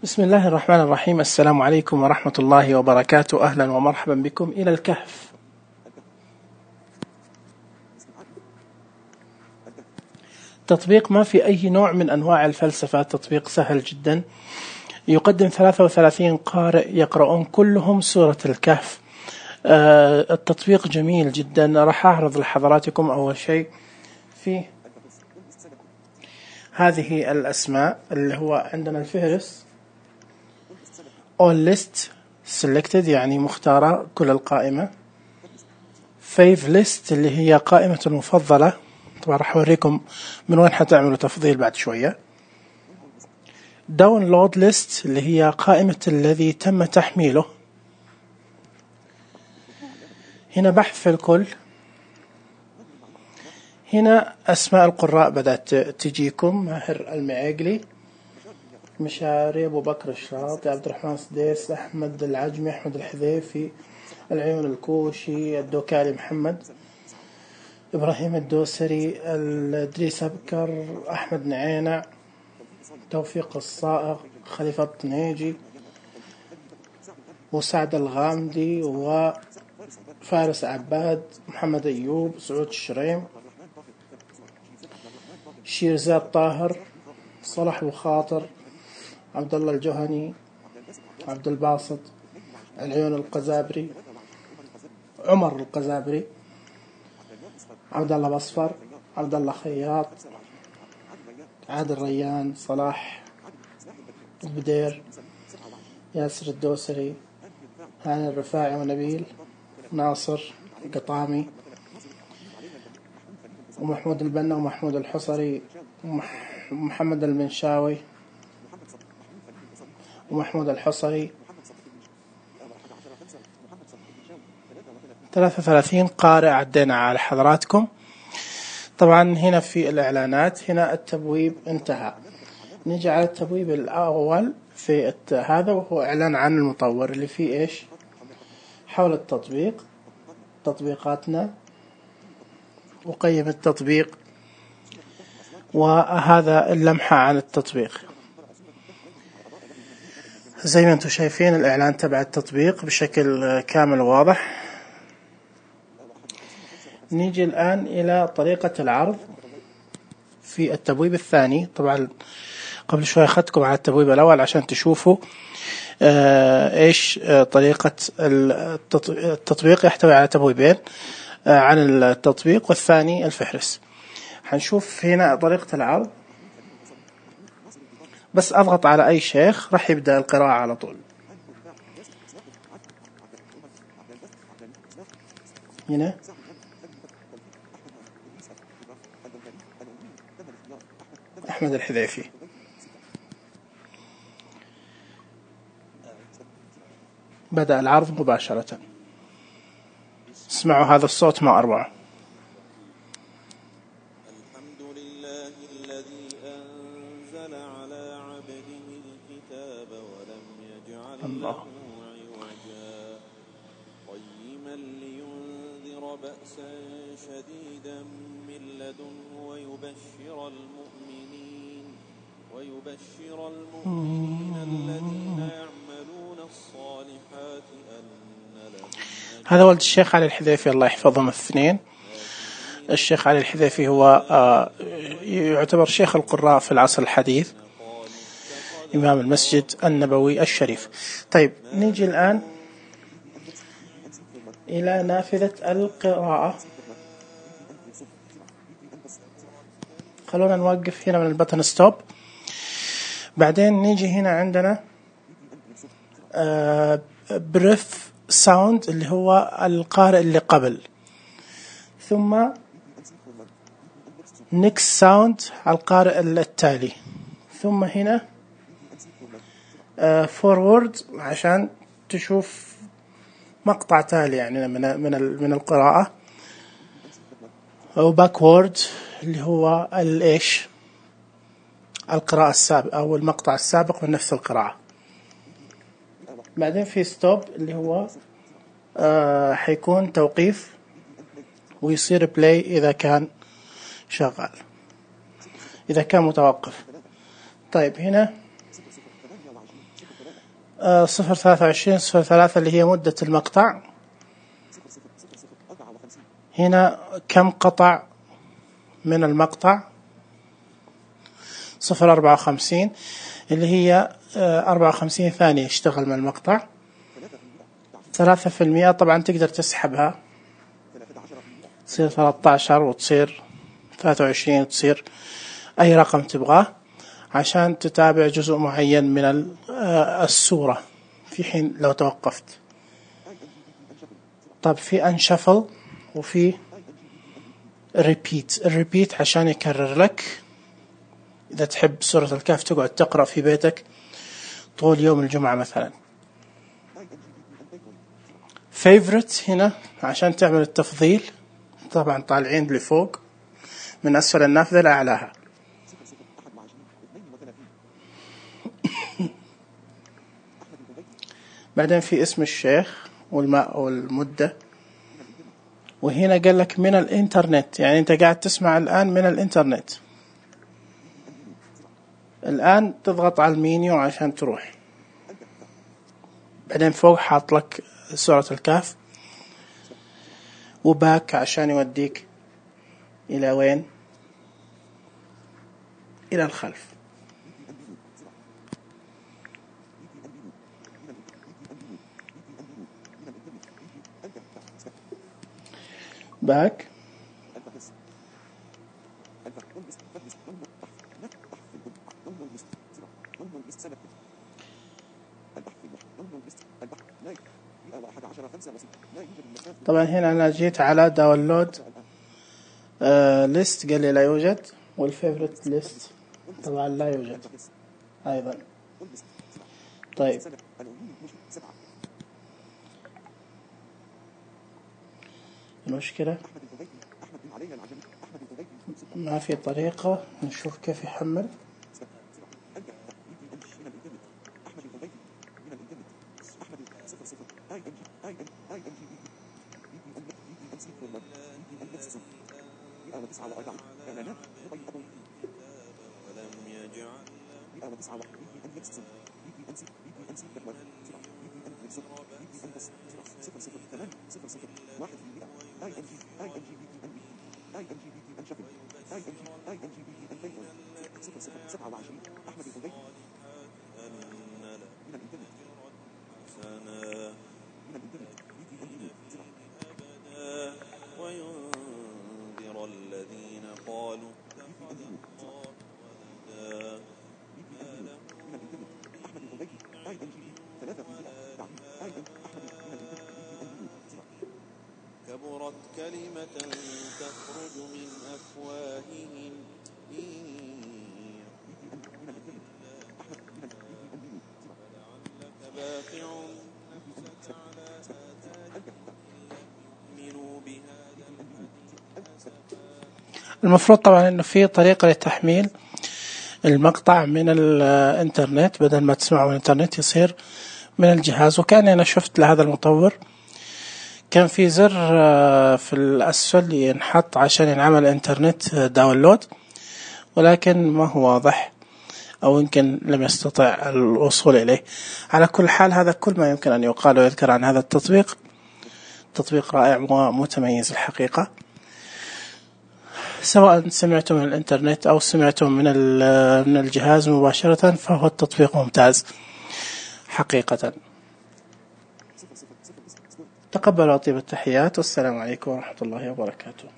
بسم الله الرحمن الرحيم. السلام عليكم ورحمة الله وبركاته. أهلا ومرحبا بكم إلى الكهف. تطبيق ما في أي نوع من أنواع الفلسفة، تطبيق سهل جدا، يقدم 33 قارئ يقرؤون كلهم سورة الكهف. التطبيق جميل جدا. راح أعرض لحضراتكم أول شيء في هذه الأسماء اللي هو عندنا الفهرس all list selected يعني مختارة كل القائمة. fave list اللي هي قائمة المفضلة، طبعا راح أوريكم من وين حتعملوا تفضيل بعد شوية. download list اللي هي قائمة الذي تم تحميله. هنا بحث في الكل. هنا أسماء القراء بدأت تجيكم: ماهر المعيقلي، مشاري، أبو بكر الشاطي، عبد الرحمن سديس، أحمد العجمي، أحمد الحذيفي، العيون الكوشي، الدوكالي محمد، إبراهيم الدوسري، الإدريس أبكر، أحمد نعينع، توفيق الصائغ، خليفة الطنيجي، وسعد الغامدي، وفارس عباد، محمد أيوب، سعود الشريم، شيرزاد طاهر، صلاح أبو خاطر، عبد الله الجهني، عبد الباسط، العيون القزابري، عمر القزابري، عبد الله بصفر، عبد الله خياط، عادل ريان، صلاح البدير، ياسر الدوسري، هاني الرفاعي، ونبيل ناصر قطامي، ومحمود البنا، ومحمود الحصري، ومحمد المنشاوي، ومحمود الحصري. 33 قارئ عدينا على حضراتكم. طبعا هنا في الإعلانات، هنا التبويب انتهى. نيجي على التبويب الأول في هذا، وهو إعلان عن المطور اللي فيه إيش حول التطبيق، تطبيقاتنا، وقيم التطبيق، وهذا اللمحة عن التطبيق. زي ما انتم شايفين الإعلان تبع التطبيق بشكل كامل واضح. نيجي الآن إلى طريقة العرض في التبويب الثاني. طبعا قبل شوي أخذتكم على التبويب الأول عشان تشوفوا إيش طريقة التطبيق. يحتوي على تبويبين عن التطبيق، والثاني الفهرس. حنشوف هنا طريقة العرض. بس أضغط على أي شيخ راح يبدأ القراءة على طول. هنا أحمد الحذيفي. بدأ العرض مباشرة. اسمعوا هذا الصوت ما أروع. الحمد لله الذي أنزل على عبده الكتاب ولم يجعل له عوجا قيما لينذر بأسا شديدا من لدنه ويبشر المؤمنين الذين يعملون الصالحات أن لهم. هذا ولد الشيخ علي الحذيفي الله يحفظهم الاثنين. الشيخ علي الحذيفي هو يعتبر شيخ القراء في العصر الحديث، إمام المسجد النبوي الشريف. طيب نيجي الآن إلى نافذة القراءة. خلونا نوقف هنا من البتن ستوب. بعدين نيجي هنا عندنا بريف ساوند اللي هو القارئ اللي قبل، ثم نيكست ساوند على القارئ التالي، ثم هنا فورورد عشان تشوف مقطع تالي يعني من القراءة، أو باكورد اللي هو الإيش القراءة السابقة أو المقطع السابق من نفس القراءة. بعدين في ستوب اللي هو حيكون توقيف، ويصير بلاي إذا كان شغال، إذا كان متوقف. طيب هنا 0.23 0.3 اللي هي مدة المقطع. هنا كم قطع من المقطع؟ 0.54 اللي هي 54 ثانية اشتغل من المقطع. 3% طبعا تقدر تسحبها، تصير 13 وتصير 23 وتصير أي رقم تبغاه عشان تتابع جزء معين من الصورة في حين لو توقفت. طب في أنشفل وفي الريبيت عشان يكرر لك. إذا تحب سورة الكهف تقعد تقرأ في بيتك طول يوم الجمعة مثلا. favorite هنا عشان تعمل التفضيل، طبعا طالعين لفوق من أسفل النافذة لأعلاها. بعدين في اسم الشيخ والمدة، وهنا قال لك من الإنترنت، يعني أنت قاعد تسمع الآن من الإنترنت. الآن تضغط على المينيو عشان تروح. بعدين فوق حاط لك سورة الكهف، وباك عشان يوديك إلى وين؟ إلى الخلف. باك طبعا هنا أنا جيت على داونلود ليست، قال لي لا يوجد، والفيفوريت ليست طبعا لا يوجد أيضا. طيب المشكلة ما في طريقة نشوف كيف يحمل. كبرت كلمة تخرج من أفواههم فلعلك باخع نفسك على آثارهم يؤمنوا بهذا الحديث. المفروض طبعا انه في طريقة لتحميل المقطع من الانترنت، بدل ما تسمعه من الانترنت يصير من الجهاز. وكان انا شفت لهذا المطور كان في زر في الأسفل ينحط عشان ينعمل إنترنت داونلود، ولكن ما هو واضح أو يمكن لم يستطع الوصول إليه. على كل حال هذا كل ما يمكن أن يقال ويذكر عن هذا التطبيق. تطبيق رائع ومتميز الحقيقة، سواء سمعتم من الإنترنت أو سمعتم من الجهاز مباشرة، فهو التطبيق ممتاز حقيقة. تقبلوا طيب التحيات، والسلام عليكم ورحمة الله وبركاته.